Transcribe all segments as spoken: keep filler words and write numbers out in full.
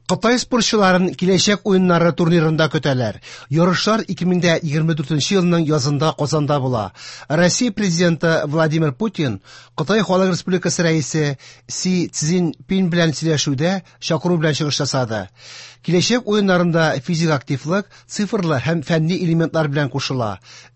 Кытай спортчыларын Киләчәк уеннары турнирында көтәләр. Ярышлар ике мең егерме дүртенче елның язында Казанда була. Россия президенты Владимир Путин Кытай Халык Республикасы рәисе Си Цзиньпин белән сөйләшүдә чакыру белән чыгыш ясады. Киләчәк уеннарында физик активлык цифрлы һәм фәнни элементлар белән кушыла.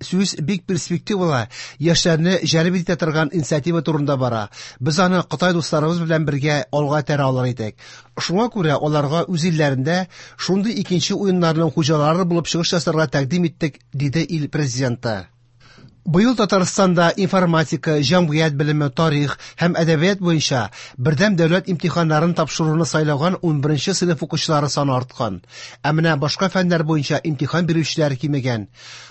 Сүз бик перспективалы, яшьләрне җәлеп итә торган инициатива турында бара. Без аны Кытай дусларыбыз белән бергә алга этәрә алыр идек. Шуңа күрә аларга үз илләрендә шундый икенче уеннарның хуҗалары булып чыгыш ясарга тәкъдим иттек, диде ил президенты. Быел Татарстанда информатика, җәмгыять белеме, тарих һәм әдәбият буенча бердәм дәүләт имтиханнарын тапшыруны сайлаган унберенче сыйныф укучылары саны арткан. Ә менә башка фәннәр буенча имтихан бирүчеләр кимегән.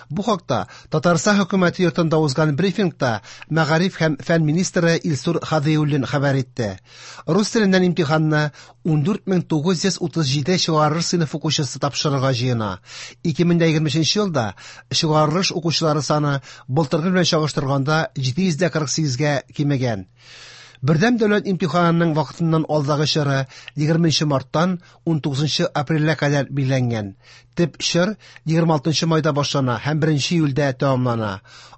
Бу хакта Татарстан хөкүмәте йортында узган брифингта мәгариф һәм фән министры Илсур Һадиуллин хәбәр итте. Рус теленнән имтиханны ундүрт мең тугыз йөз утыз җиде чыгарылыш сыйныф укучысы тапшырырга җыена. Ике мең егерме өченче елда чыгарылыш укучылары саны былтыргы белән чагыштырганда җиде йөз дә кырык сигезгә кимегән. Бердәм дәүләт имтиханының вакытыннан алдагы чоры егерменче марттан унтугызынчы апрельгә кадәр билгеләнгән. Төп чор егерме алтынчы майда башлана һәм беренче июльдә тәмамлана.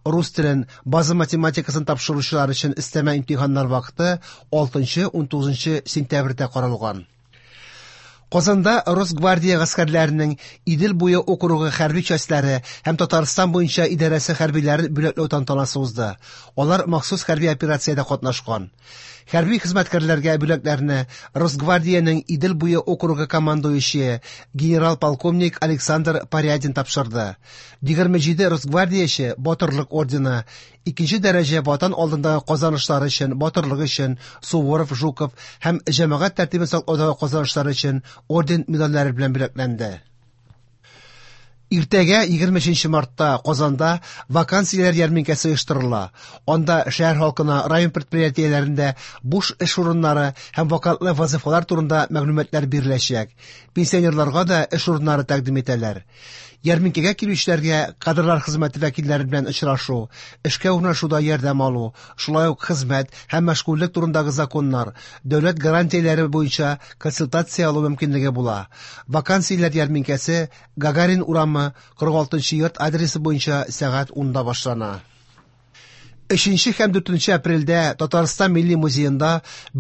Рус телен, база математикасын тапшыручылар өчен өстәмә имтиханнар вакыты алтынчы унтугызынчы сентябрьдә каралган. Казанда Росгвардия гаскәрләренең Идел буе округы хәрби частьләре һәм Татарстан буенча идарәсе хәрбиләрен бүләкләү тантанасы узды. Алар махсус хәрби операциядә катнашкан. Хәрби хезмәткәрләргә бүләкләрне Росгвардиянең Идел буе округы командующие генерал-полковник Александр Порядин тапшырды. Егерме җиде Росгвардияче Батырлык ордены, икенче дәрәҗә Ватан алдындагы казанышлары өчен, батырлык өчен Суворов, Жуков һәм җәмәгать тәртибен саклаудагы казанышлары өчен орден медальләре белән бүләкләнде. Иртәгә егерме өченче мартта Казанда вакансияләр ярминкәсе оештырыла. Анда шәһәр халкына район предприятиеләрендә буш эш урыннары һәм вакантлы вазифалар турында мәгълүматлар биреләчәк. Пенсионерларга да эш урыннары тәкъдим итәләр. Ярминкәгә килүчеләргә кадрлар хезмәте вәкилләре белән очрашу, эшкә урнашуда ярдәм алу, шулай ук хезмәт һәм мәшгульлек турындагы законнар, дәүләт гарантияләре буенча консультация алу мөмкинлеге була. Вакансияләр ярминкәсе Гагарин урамы кырык алтынчы йорт адресы буенча сәгать унда башлана. Өченче һәм дүртенче апрельдә Татарстан Милли музеенда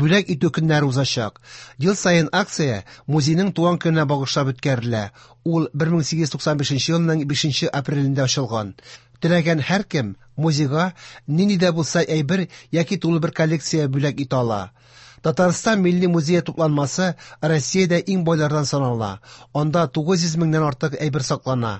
бүләк итү көннәре узачак. Ел саен акция музейның туган көненә багышлап үткәрелә. Ул бер мең сигез йөз туксан бишенче елның бишенче апрелендә ачылган. Теләгән һәркем музейга нинди дә булса әйбер яки тулы бер коллекция бүләк итә ала. Татарстан Милли музее тупланмасы Россиядә иң байлардан санала. Анда тугыз йөз меңнән артык әйбер саклана.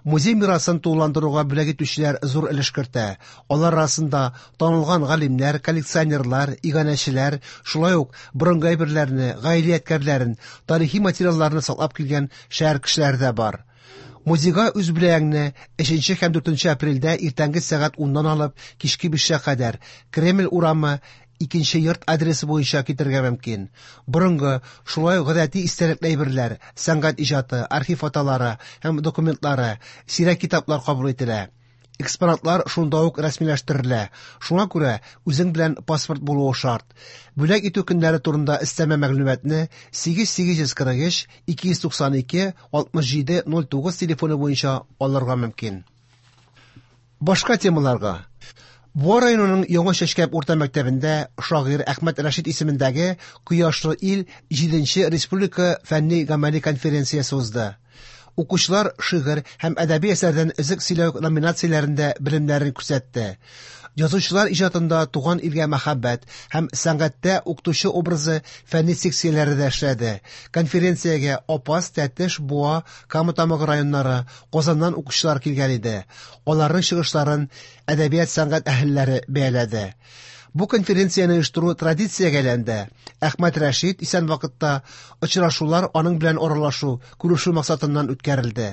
Музей мирасын тулыландыруга бүләк итүчеләр зур өлеш кертә. Алар арасында танылган галимнәр, коллекционерлар, иганәчеләр, шулай ук борынгы әйберләрне, гаилә ядкәрләрен, тарихи материалларны саклап килгән шәһәр кешеләре дә бар. Музейга үз бүләгеңне өченче һәм дүртенче апрельдә иртәнге сәгать уннан алып кичке бишкә кадәр Кремль урамы икенче йорт адресы буенча китерергә мөмкин. Борынгы, шулай ук гадәти истәлекле әйберләр, сәнгать иҗаты, архив фотолары һәм документлары, сирәк китаплар кабул ителә. Экспонатлар шунда ук рәсмиләштерелә. Шуңа күрә үзең белән паспорт булуы шарт. Бүләк итү көннәре турында өстәмә мәгълүматны сигез сигез йөз кырык өч, ике йөз туксан ике, алтмыш җиде, ноль тугыз телефоны буенча алырга мөмкин. Башка темаларга. Буа районының Яңа Чәчкәп урта мәктәбендә шагыйрь Әхмәт Рәшит исемендәге Кояшлы ил җиденче республика фәнни гамәли конференциясе узды. Укучылар шигырь һәм әдәби әсәрдән өзек сөйләү номинацияләрендә белемнәрен күрсәтте. Язучылар иҗатында туган илгә мәхәббәт һәм сәнгатьтә укытучы образы фәнни секцияләре дә эшләде. Конференциягә Апас, Тәтеш, Буа, Кама Тамагы районнары, Казаннан укучылар килгән иде. Аларның чыгышларын әдәбият сәнгать әһелләре бәяләде. Бу конференцияне оештыру традициягә әйләнде. Әхмәт Рәшит исән вакытта очрашулар аның белән аралашу, күрешү максатыннан үткәрелде.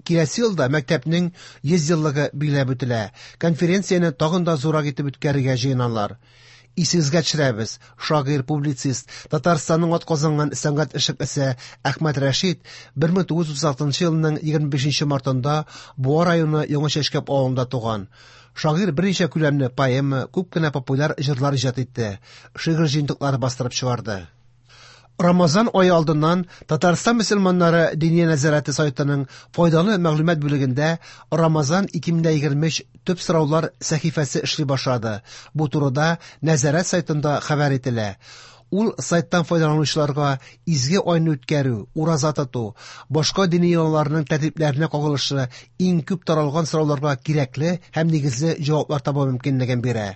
Киләсе елда мәктәпнең йөз еллыгы билгеләп үтелә. Конференцияне тагын да зуррак итеп үткәрергә җыеналар. Исегезгә төшерәбез, шагыйрь, публицист, Татарстанның атказанган сәнгать эшлеклесе Әхмәт Рәшит бер мең тугыз йөз утыз алтынчы елның егерме бишенче мартында Буа районы Яңа Чәчкәп авылында туган. Шагыйрь берничә күләмле поэма, күп кенә популяр җырлар иҗат итте, шигырь җыентыклары бастырып чыгарды. Рамазан ае алдыннан Татарстан мөселманнары Диния нәзарәте сайтының файдалы мәгълүмат бүлегендә Рамазан ике мең егерме өч төп сораулар сәхифәсе эшли башлады. Бу турыда нәзарәт сайтында хәбәр ителә. Ул сайттан файдаланучыларга изге айны үткәрү, ураза тоту, башка дини йолаларның тәртипләренә кагылышлы иң күп таралган сорауларга кирәкле һәм нигезле җаваплар табу мөмкинлеген бирә.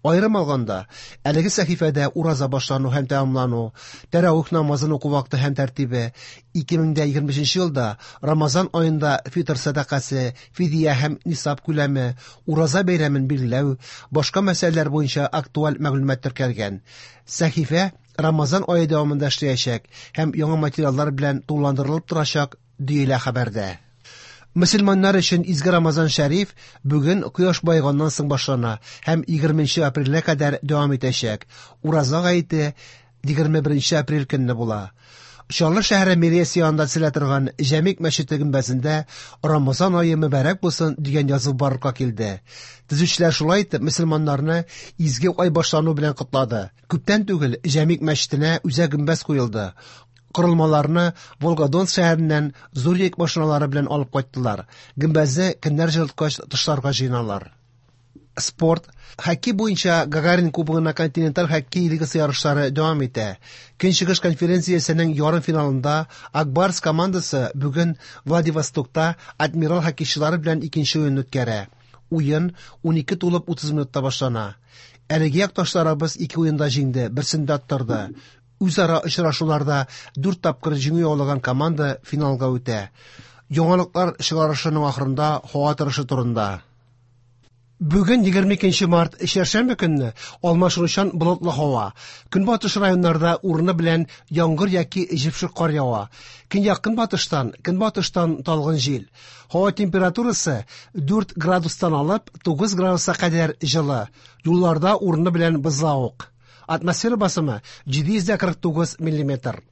Аерым алганда, әлеге сәхифәдә ураза башлану һәм тәмамлану, тәравих намазын уку вакыты һәм тәртибе, ике мең егерме өченче елда Рамазан аенда фитр сәдакасы, фидия һәм нисаб күләме, ураза бәйрәмен билгеләү, башка мәсьәләләр буенча актуаль мәгълүмат теркәлгән. Сәхифә Рамазан ае дәвамында эшләячәк һәм яңа материаллар белән тулыландырылып торачак, диелә хәбәрдә. Мөселманнар өчен изге Рамазан шәриф бүген кояш баеганнан соң башлана һәм егерменче апрельгә кадәр дәвам итәчәк. Ураза гаете егерме беренче апрель көнне була. Чаллы шәһәре мэриясе янында төзелә торган Җәмигъ мәчете гөмбәзендә Рамазан ае мөбарәк булсын дигән язу барлыкка килде. Төзүчеләр шулай итеп мөселманнарны изге ай башлану белән котлады. Күптән түгел Җәмигъ мәчетенә үзәк гөмбәз куелды. Корылмаларны Волгодонск шәһәреннән зур йөк машиналары белән алып кайттылар. Гөмбәзне көннәр җылыткач тышларга җыйналар. Спорт. Хоккей буенча Гагарин кубогына континенталь хоккей лигасы ярышлары дәвам итә. Көнчыгыш конференциясенең ярым финалында Акбарс командасы бүген Владивостокта Адмирал хоккейчылары белән икенче уен үткәрә. Уен унике тулып утыз минутта башлана. Әлеге якташларыбыз ике уенда җиңде, берсендә аттырды. Үзара очрашуларда дүрт тапкыр җиңү яулаган команда финалга үтә. Яңалыклар чыгарышының ахырында һава торышы турында. Бүген егерме икенче март, чәршәмбе көнне алмашынучан болытлы һава. Көнбатыш районнарда урыны белән яңгыр яки җепшек кар ява. Көньяк-көнбатыштан, көнбатыштан талгын җил. Һава температурасы дүрт градустан алып тугыз градуска кадәр җылы. Юлларда урыны белән бозлавык. Атмосфера басымы җиде йөз дә кырык тугыз миллиметр.